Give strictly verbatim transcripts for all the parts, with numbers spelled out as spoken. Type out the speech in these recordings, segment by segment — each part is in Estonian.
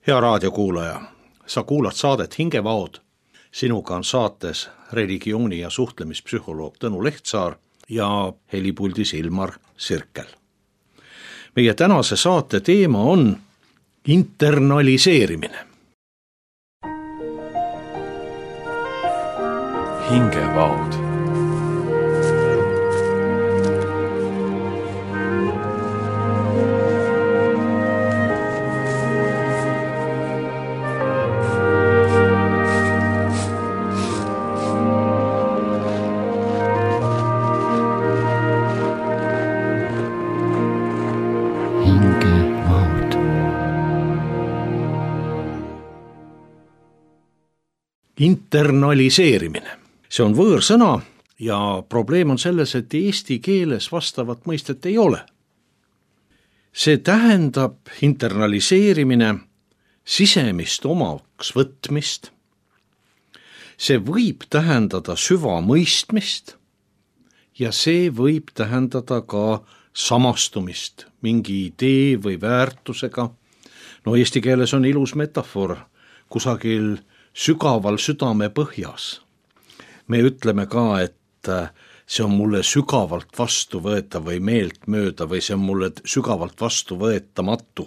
Hea raadiokuulaja, sa kuulad saadet Hingevaod. Sinuga on saates religiooni- ja suhtlemispsühholoog Tõnu Lehtsaar ja helipuldis Ilmar Sirkel. Meie tänase saate teema on internaliseerimine. Hingevaod. Internaliseerimine. See on võõrsõna ja probleem on selles, et eesti keeles vastavat mõistet ei ole. See tähendab internaliseerimine sisemist omaks võtmist. See võib tähendada süvamõistmist ja see võib tähendada ka samastumist mingi idee või väärtusega. No eesti keeles on ilus metafoor kusagil sügaval südame põhjas. Me ütleme ka, et see on mulle sügavalt vastu võeta või meelt mööda või see on mulle sügavalt vastu võetamatu.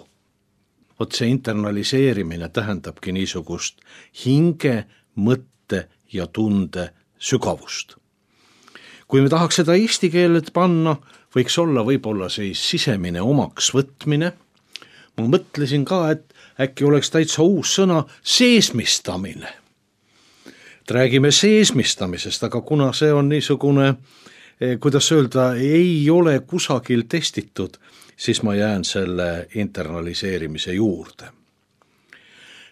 Vot see internaliseerimine tähendabki niisugust hinge, mõtte ja tunde sügavust. Kui me tahaks seda eesti keelet panna, võiks olla võib-olla siis sisemine omaks võtmine. Ma mõtlesin ka, et äkki oleks täitsa uus sõna seesmistamine. Et räägime seesmistamisest, aga kuna see on niisugune, kuidas öelda, ei ole kusagil testitud, siis ma jään selle internaliseerimise juurde.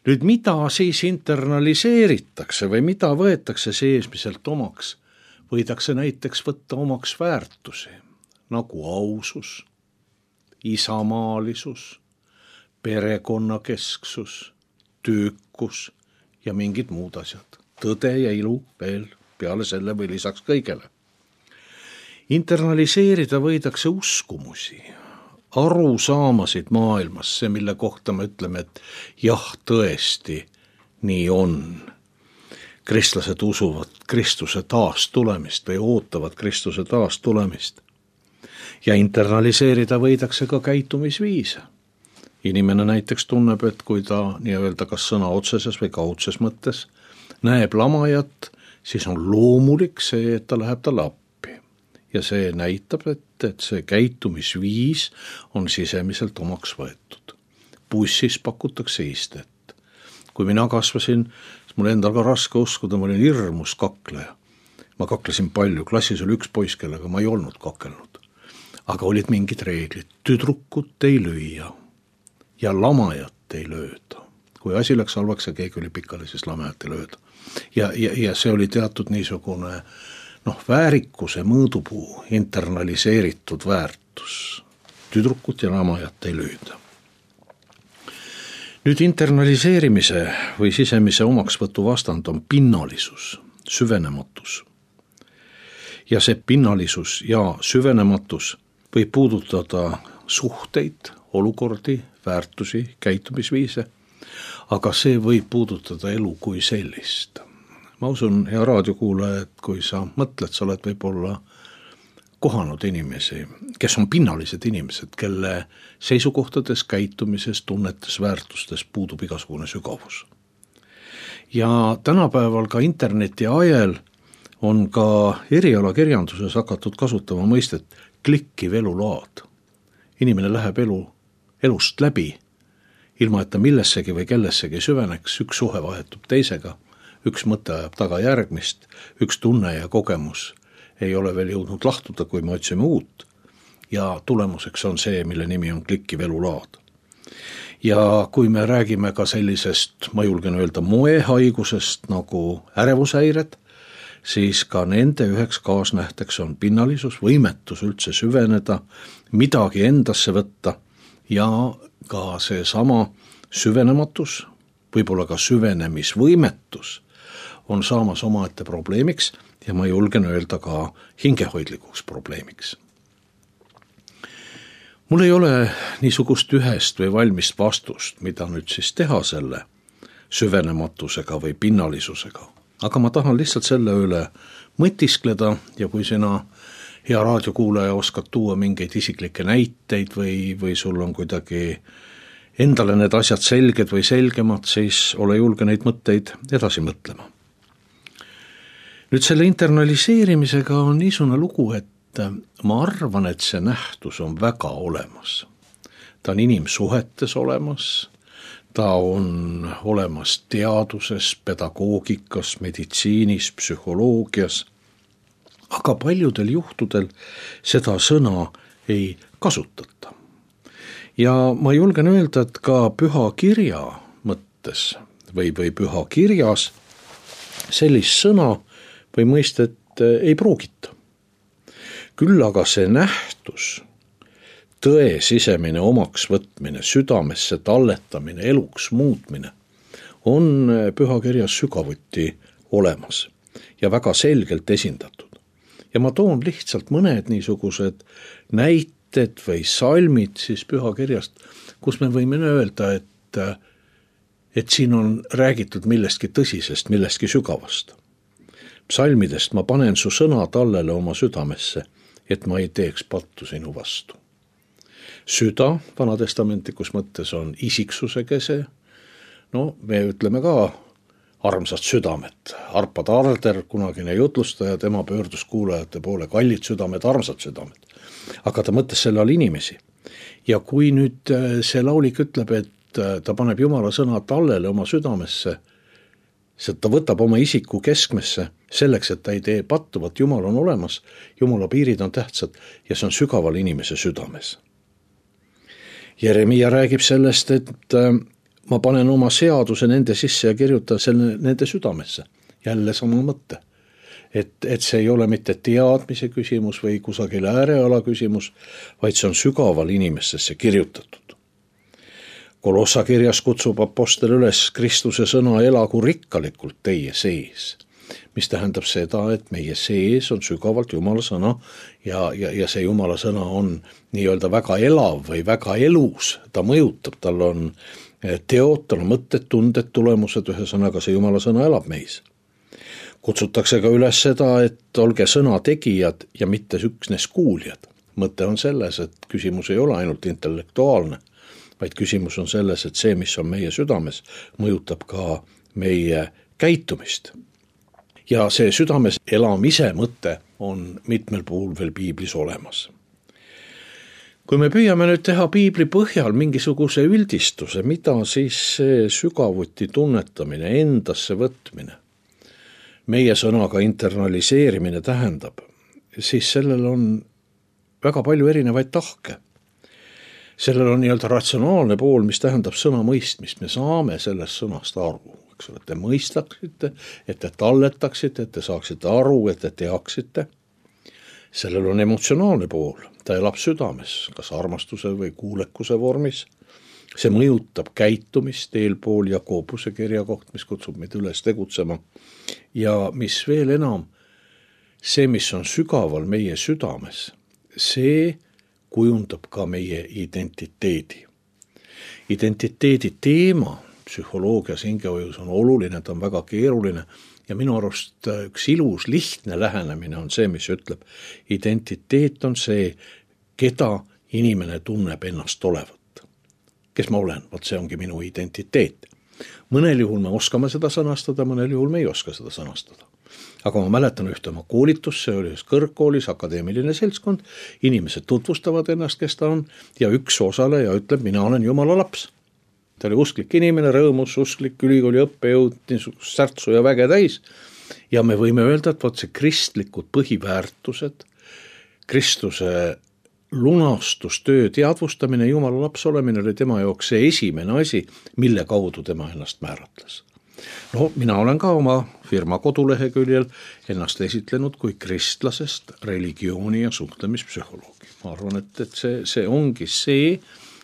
Nüüd mida siis internaliseeritakse või mida võetakse seesmiselt omaks? Võidakse näiteks võtta omaks väärtusi, nagu ausus, isamaalisus, perekonnakesksus, töökus ja mingid muud asjad. Tõde ja ilu veel peale selle või lisaks kõigele. Internaliseerida võidakse uskumusi, arusaamasid maailmas, see mille kohta me ütleme, et jah, tõesti, nii on. Kristlased usuvad Kristuse taastulemist või ootavad Kristuse taastulemist. Ja internaliseerida võidakse ka käitumisviise. Inimene näiteks tunneb, et kui ta nii-öelda kas sõna otseses või kaudses mõttes näeb lamajat, siis on loomulik see, et ta läheb talle appi. Ja see näitab, et, et see käitumisviis on sisemiselt omaks võetud. Bussis pakutakse istet. Kui mina kasvasin, siis mul endal ka raske uskuda, ma olin hirmus kakleja. Ma kaklesin palju, klassis oli üks poiss, kellega ma ei olnud kakelnud. Aga olid mingid reeglid, tüdrukut ei lüüa ja lamajat ei lööda. Kui asi läks halvaks ja keegi oli pikali, siis lamajat ei lööda. Ja, ja, ja see oli teatud niisugune noh, väärikuse mõõdupuu, internaliseeritud väärtus. Tüdrukut ja lamajat ei lööda. Nüüd internaliseerimise või sisemise omaksvõtu vastand on pinnalisus, süvenematus. Ja see pinnalisus ja süvenematus võib puudutada suhteid, olukordi, väärtusi, käitumisviise, aga see võib puudutada elu kui sellist. Ma usun, hea raadiokuulaja, et kui sa mõtled, sa oled võib-olla kohanud inimesi, kes on pinnalised inimesed, kelle seisukohtades, käitumises, tunnetes, väärtustes puudub igasugune sügavus. Ja tänapäeval ka interneti ajel on ka erialakirjanduses hakatud kasutama mõistet klikkiv elulaad. Inimene läheb elu, elust läbi, ilma et ta millessegi või kellessegi süveneks, üks suhe vahetub teisega, üks mõte ajab taga järgmist, üks tunne ja kogemus ei ole veel jõudnud lahtuda, kui me otsime uut ja tulemuseks on see, mille nimi on klikkiv elulaad. Ja kui me räägime ka sellisest, ma julgen öelda, moehaigusest nagu ärevushäired, siis ka nende üheks kaasnähteks on pinnalisus, võimetus üldse süveneda, midagi endasse võtta ja ka see sama süvenematus, võib-olla ka süvenemisvõimetus on saamas omaette probleemiks ja ma julgen öelda ka hingehoidlikuks probleemiks. mul ei ole niisugust ühest või valmist vastust, mida nüüd siis teha selle süvenematusega või pinnalisusega. Aga ma tahan lihtsalt selle üle mõtiskleda ja kui sina, hea raadiokuulaja, oskad tuua mingeid isiklikke näiteid või, või sul on kuidagi endale need asjad selged või selgemad, siis ole julge neid mõtteid edasi mõtlema. Nüüd selle internaliseerimisega on niisugune lugu, et ma arvan, et see nähtus on väga olemas. Ta on inimsuhetes olemas, ta on olemas teaduses, pedagoogikas, meditsiinis, psühholoogias, aga paljudel juhtudel seda sõna ei kasutata. Ja ma julgen öelda, et ka püha kirja mõttes või, või püha kirjas sellist sõna või mõistet ei pruugita. Küll aga see nähtus, tõe sisemine omaks võtmine, südamesse talletamine, eluks muutmine on pühakirjas sügavuti olemas ja väga selgelt esindatud. Ja ma toon lihtsalt mõned niisugused näited või salmid siis pühakirjast, kus me võime öelda, et, et siin on räägitud millestki tõsisest, millestki sügavast. Psalmidest ma panen su sõna tallele oma südamesse, et ma ei teeks pattu sinu vastu. Süda vanatestamentikus mõttes on isiksuse kese. No me ütleme ka armsat südamet. Arpa Tarder, kunagine jutlustaja, tema pöördus kuulajate poole, kallid südamed, armsad südamed. Aga ta mõtles selle all inimesi. Ja kui nüüd see laulik ütleb, et ta paneb Jumala sõna tallele oma südamesse, see ta võtab oma isiku keskmesse selleks, et ta ei tee pattu, vaat Jumal on olemas, Jumala piirid on tähtsad ja see on sügaval inimese südames. Jeremia räägib sellest, et ma panen oma seaduse nende sisse ja kirjutan selle nende südamesse. Jälle sama mõte. Et, et see ei ole mitte teadmise küsimus või kusagil ääreala küsimus, vaid see on sügaval inimessesse kirjutatud. Kolossa kirjas kutsub apostel üles Kristuse sõna elagu rikkalikult teie sees, mis tähendab seda, et meie sees on sügavalt Jumala sõna ja, ja, ja see Jumala sõna on nii-öelda väga elav või väga elus, ta mõjutab, tal on teod, tal on mõtted, tunded, tulemused, ühesõnaga see Jumala sõna elab meis. Kutsutakse ka üles seda, et olge sõna tegijad ja mitte üksnes kuuljad. Mõte on selles, et küsimus ei ole ainult intellektuaalne, vaid küsimus on selles, et see, mis on meie südames, mõjutab ka meie käitumist. Ja see südames elamise mõte on mitmel puhul veel piiblis olemas. Kui me püüame nüüd teha piibli põhjal mingisuguse üldistuse, mida siis see sügavuti tunnetamine, endasse võtmine, meie sõnaga internaliseerimine tähendab, siis sellel on väga palju erinevaid tahke. Sellel on nii-öelda ratsionaalne pool, mis tähendab sõna mõistmist. Me saame sellest sõnast aru, eks ole, et te mõistaksite, et te talletaksite, et te saaksite aru, et te teaksite. Sellel on emotsionaalne pool, ta elab südames, kas armastuse või kuulekuse vormis. See mõjutab käitumist eelpool Jakobuse kirja koht, mis kutsub meid üles tegutsema. Ja mis veel enam, see, mis on sügaval meie südames, see kujundab ka meie identiteedi. Identiteedi teema psühholoogias, hingehojus on oluline, ta on väga keeruline ja minu arust üks ilus, lihtne lähenemine on see, mis ütleb, identiteet on see, keda inimene tunneb ennast olevat. Kes ma olen, vaat see ongi minu identiteet. Mõnel juhul me oskame seda sõnastada, mõnel juhul me ei oska seda sõnastada. Aga ma mäletan ühte oma koolitus, see oli kõrgkoolis, akadeemiline seltskond, inimesed tutvustavad ennast, kes ta on, ja üks osaleja ütleb, mina olen Jumala laps. Ta oli usklik inimene, rõõmus, usklik, ülikooli õppejõud, niisugust särtsu ja väge täis. Ja me võime öelda, et vaat see kristlikud põhiväärtused, Kristuse lunastustöö teadvustamine, Jumala laps olemine oli tema jaoks see esimene asi, mille kaudu tema ennast määratles. No, mina olen ka oma firma koduleheküljel ennast esitlenud kui kristlasest religiooni ja suhtlemispsühholoogi. Ma arvan, et, et see, see ongi see,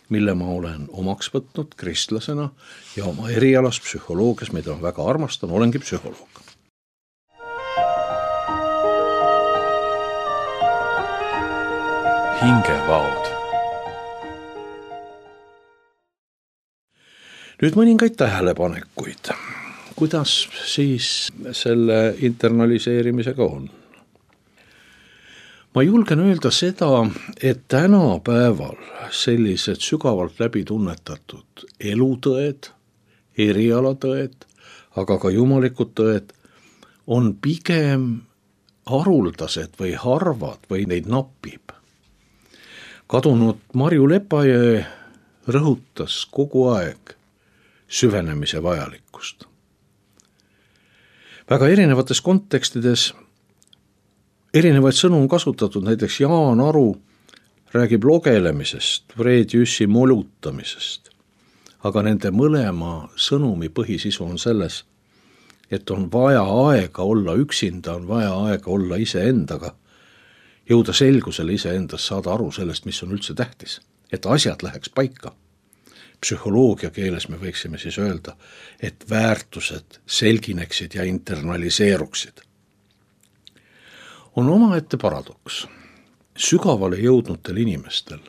mille ma olen omaks võtnud kristlasena ja oma erialas psühholoogias, mida ma väga armastan, olengi psühholoog. Hingevaod. nüüd mõningaid tähelepanekuid, kuidas siis selle internaliseerimisega on. Ma julgen öelda seda, et tänapäeval sellised sügavalt läbi tunnetatud elutõed, erialatõed, aga ka jumalikud tõed on pigem haruldased või harvad või neid napib. Kadunud Marju Lepajõe rõhutas kogu aeg süvenemise vajalikkust. Väga erinevates kontekstides erinevaid sõnu on kasutatud, näiteks Jaan Aru räägib logelemisest, Fred Jüssi molutamisest, aga nende mõlema sõnumi põhisisu on selles, et on vaja aega olla üksinda, on vaja aega olla iseendaga, jõuda selgusele iseendas, saada aru sellest, mis on üldse tähtis, et asjad läheks paika. Psühholoogia keeles me võiksime siis öelda, et väärtused selgineksid ja internaliseeruksid. On omaette paradoks. Sügavale jõudnutel inimestel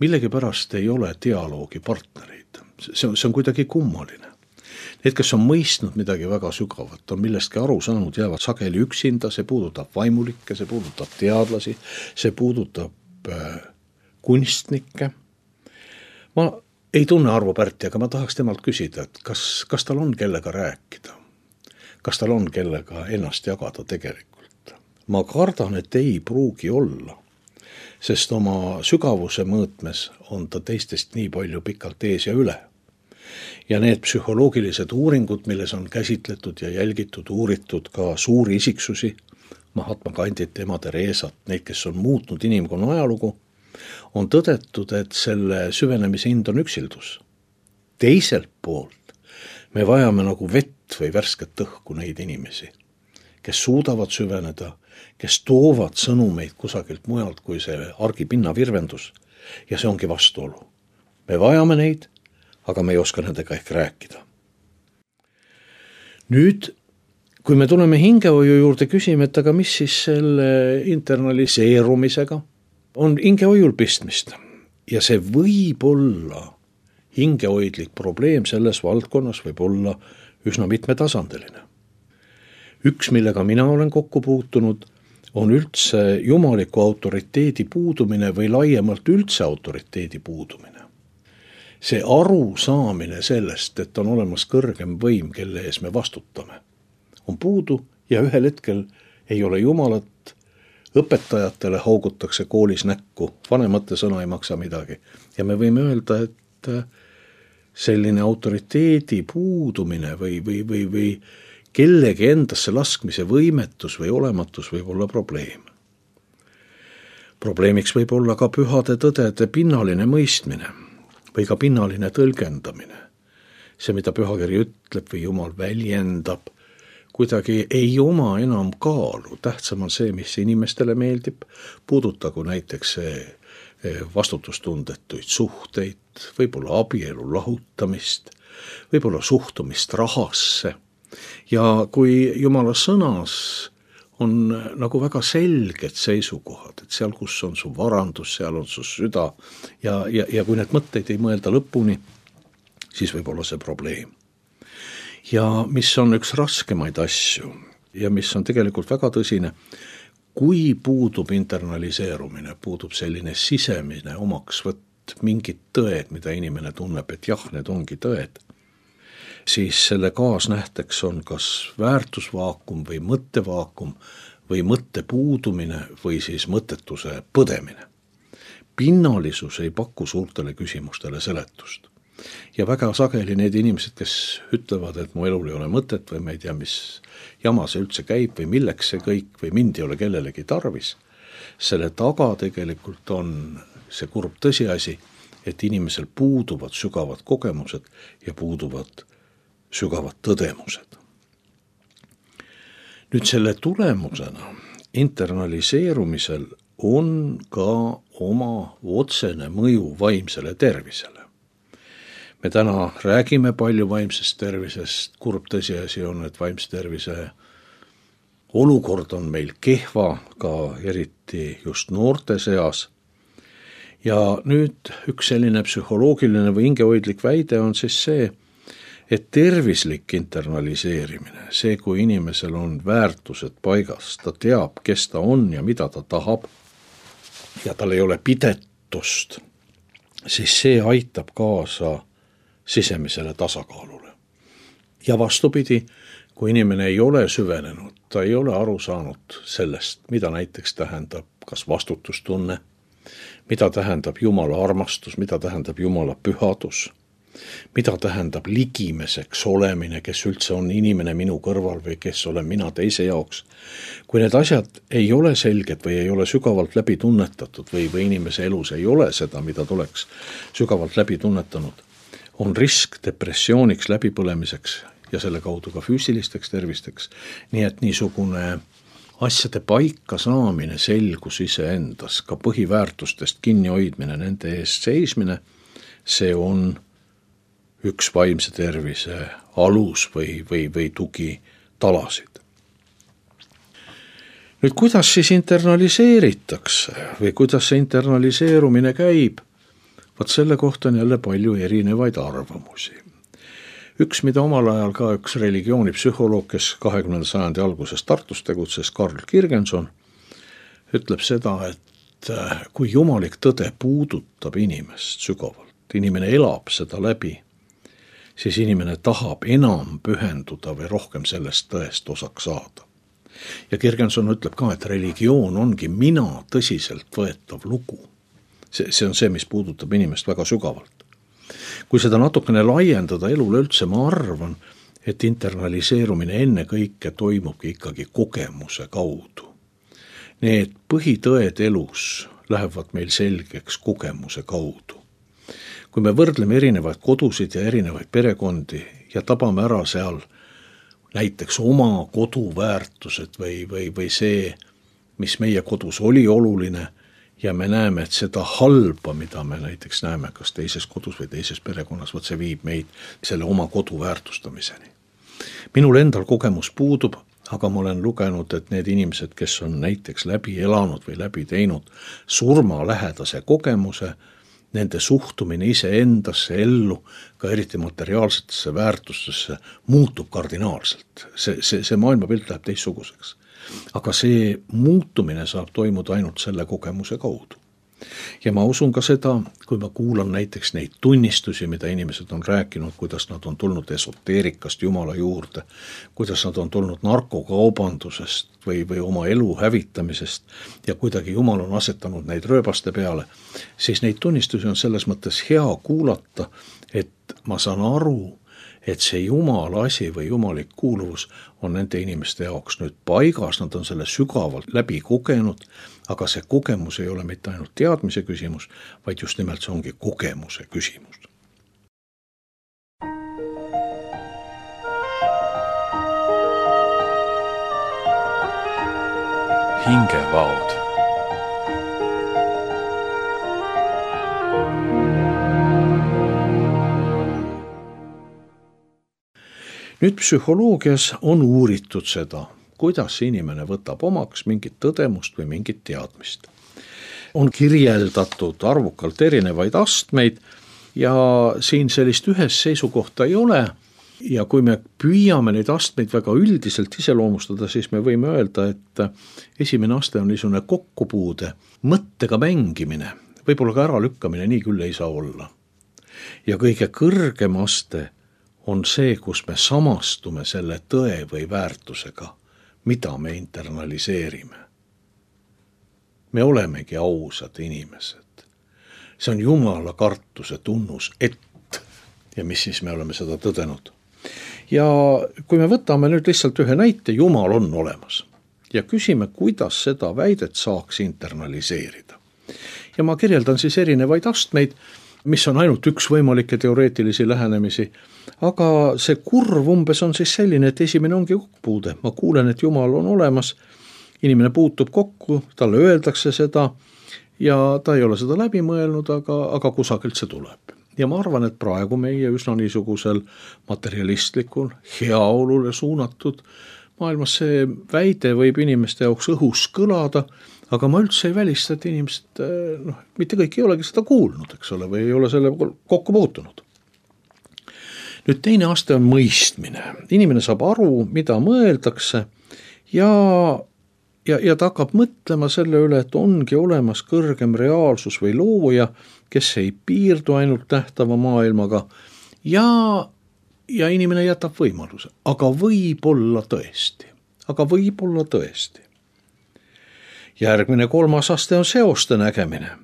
millegipärast ei ole dialoogi partnereid. See on, see on kuidagi kummaline. Need, kes on mõistnud midagi väga sügavat, on millestki aru saanud, jäävad sageli üksinda, see puudutab vaimulikke, see puudutab teadlasi, see puudutab äh, kunstnikke. Ma ei tunne Arvo Pärti, aga ma tahaks temalt küsida, et kas, kas tal on kellega rääkida? Kas tal on kellega ennast jagada tegelikult? Ma kardan, et ei pruugi olla, sest oma sügavuse mõõtmes on ta teistest nii palju pikalt ees ja üle. Ja need psühholoogilised uuringud, milles on käsitletud ja jälgitud, uuritud ka suuri isiksusi, Mahatma Gandhit, ema Teresat, neid, kes on muutnud inimkonna ajalugu, on tõdetud, et selle süvenemise hind on üksildus. Teiselt poolt me vajame nagu vett või värsket õhku neid inimesi, kes suudavad süveneda, kes toovad sõnumeid kusagilt mujalt kui see argipinna virvendus, ja see ongi vastuolu. Me vajame neid, aga me ei oska nendega ehk rääkida. Nüüd, kui me tuleme hingehoiu juurde, küsime, et aga mis siis selle internaliseerumisega on hingehoiul pistmist. Ja see võib olla hingehoidlik probleem selles valdkonnas, võib olla üsna mitmetasandiline. Üks, millega mina olen kokku puutunud, on üldse jumaliku autoriteedi puudumine või laiemalt üldse autoriteedi puudumine. See aru saamine sellest, et on olemas kõrgem võim, kelle ees me vastutame, on puudu ja ühel hetkel ei ole jumalat, õpetajatele haugutakse koolis näkku, vanemate sõna ei maksa midagi. Ja me võime öelda, et selline autoriteedi puudumine või, või, või, või kellegi endasse laskmise võimetus või olematus võib olla probleem. Probleemiks võib olla ka pühade tõdede pinnaline mõistmine või ka pinnaline tõlgendamine. See, mida pühakiri ütleb või Jumal väljendab, kuidagi ei oma enam kaalu. Tähtsam on see, mis inimestele meeldib, puudutagu näiteks vastutustundetuid suhteid, võib-olla abielu lahutamist, võib-olla suhtumist rahasse. Ja kui Jumala sõnas on nagu väga selged seisukohad, et seal, kus on su varandus, seal on su süda ja, ja, ja kui need mõtteid ei mõelda lõpuni, siis võib olla see probleem. Ja mis on üks raskemaid asju ja mis on tegelikult väga tõsine, kui puudub internaliseerumine, puudub selline sisemine omaksvõtt, mingid tõed, mida inimene tunneb, et jah, need ongi tõed, siis selle kaasnähteks on kas väärtusvaakum või mõttevaakum või mõtte puudumine või siis mõttetuse põdemine. Pinnalisus ei paku suurtele küsimustele seletust. Ja väga sageli need inimesed, kes ütlevad, et mu elul ei ole mõtet või ma ei tea, mis jama see üldse käib või milleks see kõik või mind ei ole kellelegi tarvis, selle taga tegelikult on see kurb tõsiasi, et inimesel puuduvad sügavad kogemused ja puuduvad sügavad tõdemused. Nüüd selle tulemusena internaliseerumisel on ka oma otsene mõju vaimsele tervisele. Me täna räägime palju vaimsest tervisest, kurb tõsiasi on, et vaimse tervise olukord on meil kehva, ka eriti just noorte seas. ja nüüd üks selline psühholoogiline või hingehoidlik väide on siis see, et tervislik internaliseerimine, see, kui inimesel on väärtused paigas, ta teab, kes ta on ja mida ta tahab, ja tal ei ole pidetust, siis see aitab kaasa sisemisele tasakaalule. Ja vastupidi, kui inimene ei ole süvenenud, ta ei ole aru saanud sellest, mida näiteks tähendab kas vastutustunne, mida tähendab Jumala armastus, mida tähendab Jumala pühadus, mida tähendab ligimeseks olemine, kes üldse on inimene minu kõrval või kes olen mina teise jaoks. Kui need asjad ei ole selged või ei ole sügavalt läbi tunnetatud või, või inimese elus ei ole seda, mida tuleks sügavalt läbi tunnetanud, on risk depressiooniks, läbipõlemiseks ja selle kaudu ka füüsilisteks tervisteks. Nii et niisugune asjade paika saamine, selgus iseendas, ka põhiväärtustest kinni hoidmine, nende eest seismine, see on üks vaimse tervise alus või, või, või tugi talasid. Nüüd, kuidas siis internaliseeritakse või kuidas see internaliseerumine käib? Vaat selle kohta on jälle palju erinevaid arvamusi. Üks, mida omal ajal ka üks religioonipsühholoog, kes kahekümnenda sajandi alguses Tartus tegutses, Karl Kirgenson, ütleb seda, et kui jumalik tõde puudutab inimest sügavalt, inimene elab seda läbi, siis inimene tahab enam pühenduda või rohkem sellest tõest osaks saada. Ja Kirgenson ütleb ka, et religioon ongi mina tõsiselt võetav lugu. See, see on see, mis puudutab inimest väga sügavalt. Kui seda natukene laiendada elule üldse, ma arvan, et internaliseerumine enne kõike toimubki ikkagi kogemuse kaudu. Need põhitõed elus lähevad meil selgeks kogemuse kaudu. Kui me võrdleme erinevaid kodusid ja erinevaid perekondi ja tabame ära seal näiteks oma koduväärtused või, või, või see, mis meie kodus oli oluline, ja me näeme, et seda halba, mida me näiteks näeme kas teises kodus või teises perekonnas, võt see viib meid selle oma kodu väärtustamiseni. Minul endal kogemus puudub, aga ma olen lugenud, et need inimesed, kes on näiteks läbi elanud või läbi teinud surmalähedase kogemuse, nende suhtumine iseendasse ellu, ka eriti materiaalsetesse väärtustesse, muutub kardinaalselt. See, see, see maailmapilt läheb teistsuguseks. Aga see muutumine saab toimuda ainult selle kogemuse kaudu. Ja ma usun ka seda, kui ma kuulan näiteks neid tunnistusi, mida inimesed on rääkinud, kuidas nad on tulnud esoteerikast Jumala juurde, kuidas nad on tulnud narkokaubandusest või, või oma elu hävitamisest ja kuidagi Jumal on asetanud neid rööbaste peale, siis neid tunnistusi on selles mõttes hea kuulata, et ma saan aru, et see Jumala asi või jumalik kuuluvus on nende inimeste jaoks nüüd paigas, nad on selle sügavalt läbi kogenud, aga see kogemus ei ole mitte ainult teadmise küsimus, vaid just nimelt see ongi kogemuse küsimus. Hingevaod. Nüüd psühholoogias on uuritud seda, kuidas inimene võtab omaks mingit tõdemust või mingit teadmist. On kirjeldatud arvukalt erinevaid astmeid ja siin sellist ühes seisukohta ei ole. Ja kui me püüame neid astmeid väga üldiselt iseloomustada, siis me võime öelda, et esimene aste on niisugune kokkupuude, mõttega mängimine, võib-olla ka äralükkamine, nii küll ei saa olla. Ja kõige kõrgem aste on see, kus me samastume selle tõe või väärtusega, mida me internaliseerime. Me olemegi ausad inimesed. See on Jumala kartuse tunnus, et, ja mis siis me oleme seda tõdenud. Ja kui me võtame nüüd lihtsalt ühe näite, Jumal on olemas ja küsime, kuidas seda väidet saaks internaliseerida. Ja ma kirjeldan siis erinevaid astmeid, mis on ainult üks võimalikke teoreetilisi lähenemisi, aga see kurv umbes on siis selline, et esimene ongi kokkupuude. Ma kuulen, et Jumal on olemas, inimene puutub kokku, talle öeldakse seda ja ta ei ole seda läbi mõelnud, aga, aga kusagilt see tuleb. Ja ma arvan, et praegu meie üsna niisugusel materialistlikul, heaolule suunatud maailmas see väide võib inimeste jaoks õhus kõlada, aga ma üldse ei välista, et inimesed, noh, mitte kõik ei olegi seda kuulnud, eks ole, või ei ole selle kokku puutunud. Nüüd teine aste on mõistmine. Inimene saab aru, mida mõeldakse ja, ja, ja ta hakkab mõtlema selle üle, et ongi olemas kõrgem reaalsus või looja, kes ei piirdu ainult nähtava maailmaga ja, ja inimene jätab võimaluse. Aga võib-olla tõesti, aga võib-olla tõesti. Järgmine kolmas aste on seoste nägemine.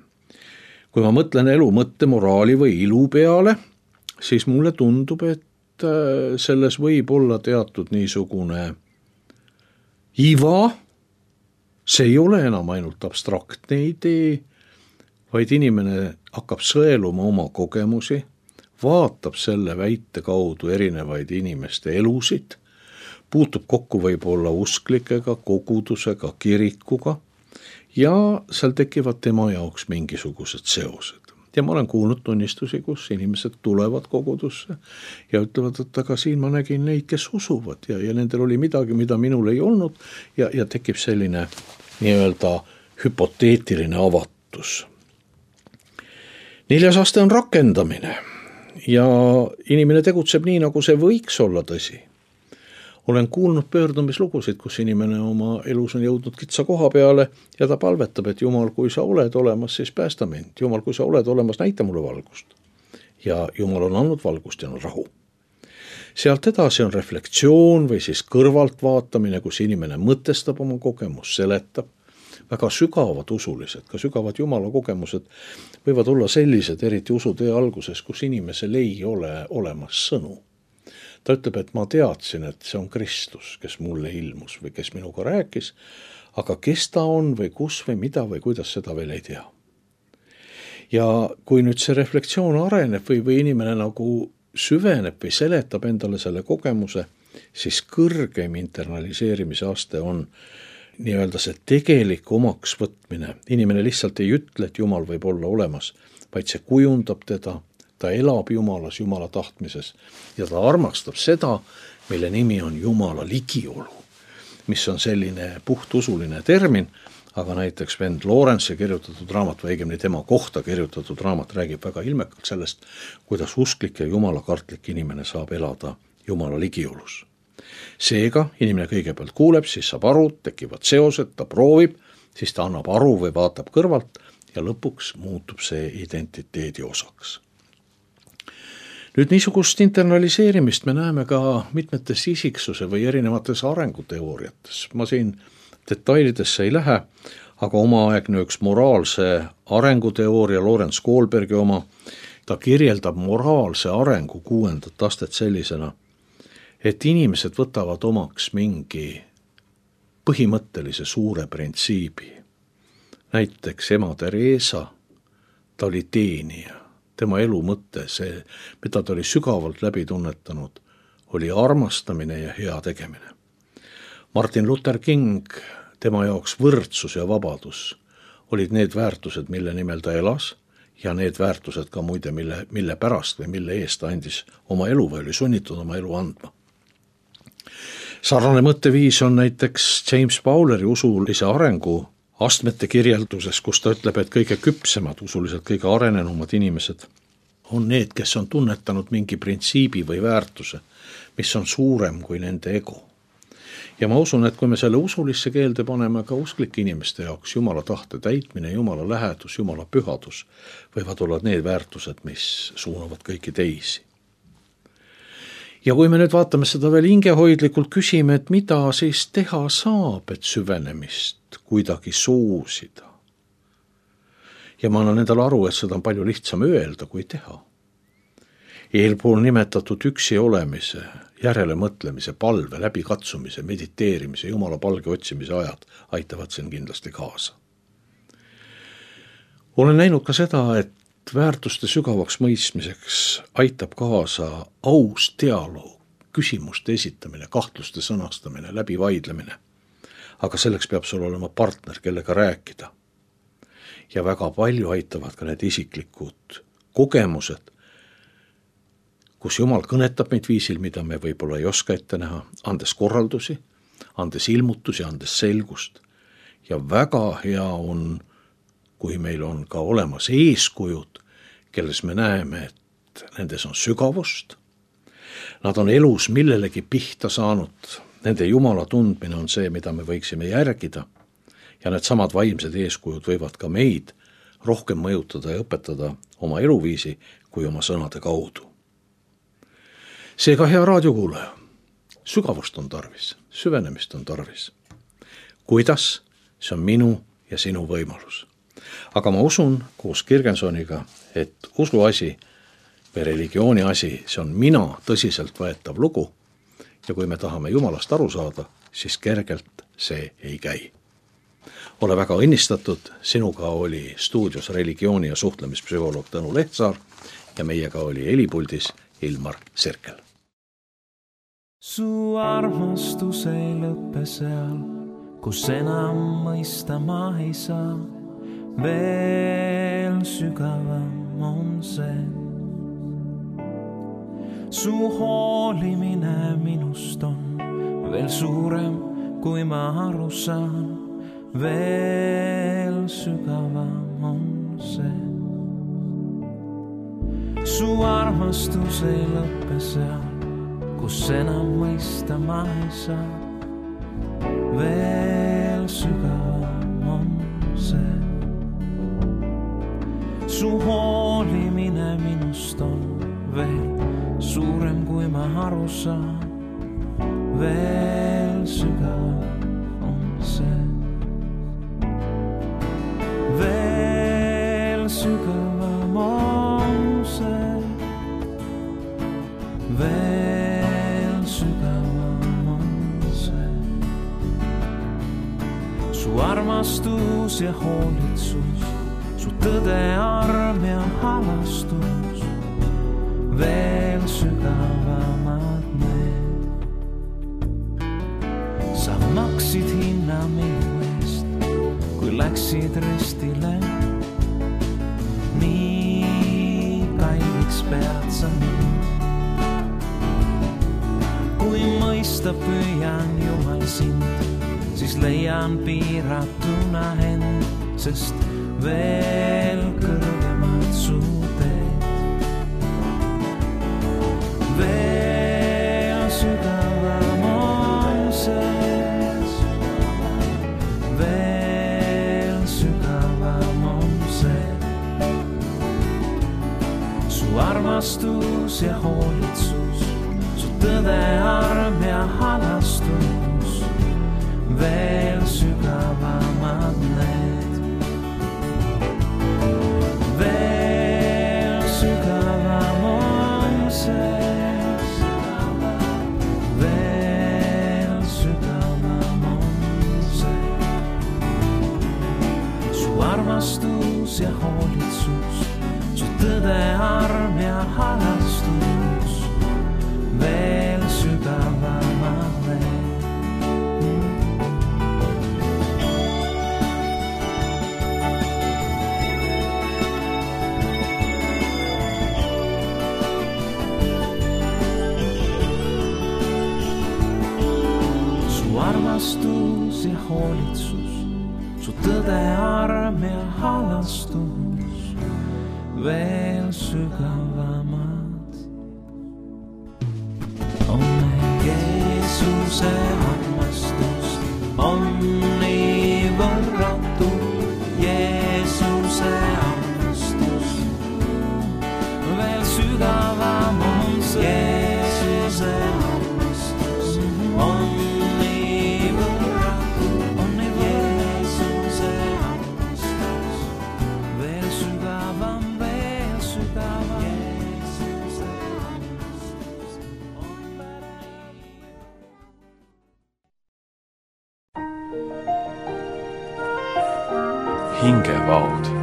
Kui ma mõtlen elu mõtte, moraali või ilu peale, siis mulle tundub, et selles võib olla teatud niisugune iva, see ei ole enam ainult abstraktne idee, vaid inimene hakkab sõeluma oma kogemusi, vaatab selle väite kaudu erinevaid inimeste elusid, puutub kokku võib-olla usklikega, kogudusega, kirikuga ja seal tekivad tema jaoks mingisugused seosed. Ja ma olen kuulnud tunnistusi, kus inimesed tulevad kogudusse ja ütlevad, et aga siin ma nägin neid, kes usuvad ja, ja nendel oli midagi, mida minul ei olnud ja, ja tekib selline nii-öelda hüpoteetiline avatus. Neljas aste on rakendamine ja inimene tegutseb nii, nagu see võiks olla tõsi. Olen kuulnud pöördumislugusid, kus inimene oma elus on jõudnud kitsa koha peale ja ta palvetab, et Jumal, kui sa oled olemas, siis päästa mind. Jumal, kui sa oled olemas, näita mulle valgust. Ja Jumal on andnud valgust ja on rahu. Sealt edasi on reflektsioon või siis kõrvaltvaatamine, kus inimene mõtestab oma kogemus, seletab. Väga sügavad usulised, ka sügavad Jumala kogemused võivad olla sellised, eriti usutee alguses, kus inimesel ei ole olemas sõnu. Ta ütleb, et ma teadsin, et see on Kristus, kes mulle ilmus või kes minuga rääkis, aga kes ta on või kus või mida või kuidas, seda veel ei tea. Ja kui nüüd see reflektsioon areneb või, või inimene nagu süveneb või seletab endale selle kogemuse, siis kõrgem internaliseerimise aste on nii-öelda see tegelik omaks võtmine. Inimene lihtsalt ei ütle, et Jumal võib olla olemas, vaid see kujundab teda, ta elab Jumalas, Jumala tahtmises ja ta armastab seda, mille nimi on Jumala ligiolu, mis on selline puhtusuline termin, aga näiteks vend Lawrence kirjutatud raamat või õigemini tema kohta kirjutatud raamat räägib väga ilmekalt sellest, kuidas usklik ja jumalakartlik inimene saab elada Jumala ligiolus. Seega inimene kõigepealt kuuleb, siis saab aru, tekivad seosed, ta proovib, siis ta annab aru või vaatab kõrvalt ja lõpuks muutub see identiteedi osaks. Nüüd niisugust internaliseerimist me näeme ka mitmetes isiksuse või erinevates arenguteooriates. Ma siin detailidesse ei lähe, aga omaaegne üks moraalse arenguteooria, Lawrence Kohlbergi oma, ta kirjeldab moraalse arengu kuuendat astet sellisena, et inimesed võtavad omaks mingi põhimõttelise suure printsiibi. Näiteks ema Teresa, ta oli teenija. Tema elu mõte, see, mida ta oli sügavalt läbi tunnetanud, oli armastamine ja hea tegemine. Martin Luther King, tema jaoks võrdsus ja vabadus olid need väärtused, mille nimel ta elas ja need väärtused ka muide, mille, mille pärast või mille eest ta andis oma elu või oli sunnitud oma elu andma. Sarnane mõtteviis on näiteks James Bowleri usulise arengu astmete kirjelduses, kus ta ütleb, et kõige küpsemad, usuliselt kõige arenenumad inimesed on need, kes on tunnetanud mingi printsiibi või väärtuse, mis on suurem kui nende ego. Ja ma usun, et kui me selle usulisse keelde paneme ka usklike inimeste jaoks, Jumala tahte täitmine, Jumala lähedus, Jumala pühadus, võivad olla need väärtused, mis suunavad kõiki teisi. Ja kui me nüüd vaatame seda veel hingehoidlikult, küsime, et mida siis teha saab, et süvenemist kuidagi soosida. Ja ma annan endale aru, et seda on palju lihtsam öelda, kui teha. Eelpool nimetatud üksi olemise, järele mõtlemise, palve, läbikatsumise, mediteerimise, Jumala palge otsimise ajad aitavad siin kindlasti kaasa. Olen näinud ka seda, et väärtuste sügavaks mõistmiseks aitab kaasa aus dialoog, küsimuste esitamine, kahtluste sõnastamine, läbivaidlemine. Aga selleks peab sul olema partner, kellega rääkida. Ja väga palju aitavad ka need isiklikud kogemused, kus Jumal kõnetab meid viisil, mida me võib-olla ei oska ette näha, andes korraldusi, andes ilmutusi, andes selgust ja väga hea on, kui meil on ka olemas eeskujud, kelles me näeme, et nendes on sügavust. Nad on elus millelegi pihta saanud. Nende Jumala tundmine on see, mida me võiksime järgida. Ja need samad vaimsed eeskujud võivad ka meid rohkem mõjutada ja õpetada oma eluviisi kui oma sõnade kaudu. Seega, hea raadiokuulaja, sügavust on tarvis, süvenemist on tarvis. Kuidas? See on minu ja sinu võimalus. Aga ma usun koos Kirgensoniga, et usu asi või religiooni asi, see on mina tõsiselt võetav lugu ja kui me tahame Jumalast aru saada, siis kergelt see ei käi. Ole väga õnnistatud, sinuga oli stuudios religiooni- ja suhtlemispsühholoog Tõnu Lehtsaar ja meiega oli helipuldis Ilmar Sirkel. Su armastus ei lõppe seal, kus enam mõista ma ei saa. Veel sügavam on see. Su hoolimine minust on veel suurem, kui ma aru saan. Veel sügavam on see. Su armastus ei lõppe seal, kus enam mõista ma ei saa. Veel sügavam on see. Su hoolimine minust on veel suurem, kui ma aru saan. Veel sügavam on see. Veel sügavam on see. Veel sügavam on see. Su armastus ja hoolitsus, su tõde, arm ja halastus, veel sügavamad need. Sa maksid hinna minu eest, kui läksid ristile. Nii kalliks pead sa mind. Kui mõista püüan Jumal sind, siis leian piiratuna end, sest veel kõrgemad su teed. Veel sügavam on see. Veel sügavam on see. Su armastus ja hoolitsus, su tõde, arm ja halastus, veel sügavamad need. Veel sügavam on see. Veel sügavam on see. Su armastus ja hoolitsus, su tõde, arm ja halastus, veel sügavamad need. Armastus ja hoolitsus, su tõde, arm ja halastus, veel sügavamad on need. Jeesuse armastus on nii võrratu. Jeesuse armastus veel sügavam on see. Jeesuse armastus on hingevaod.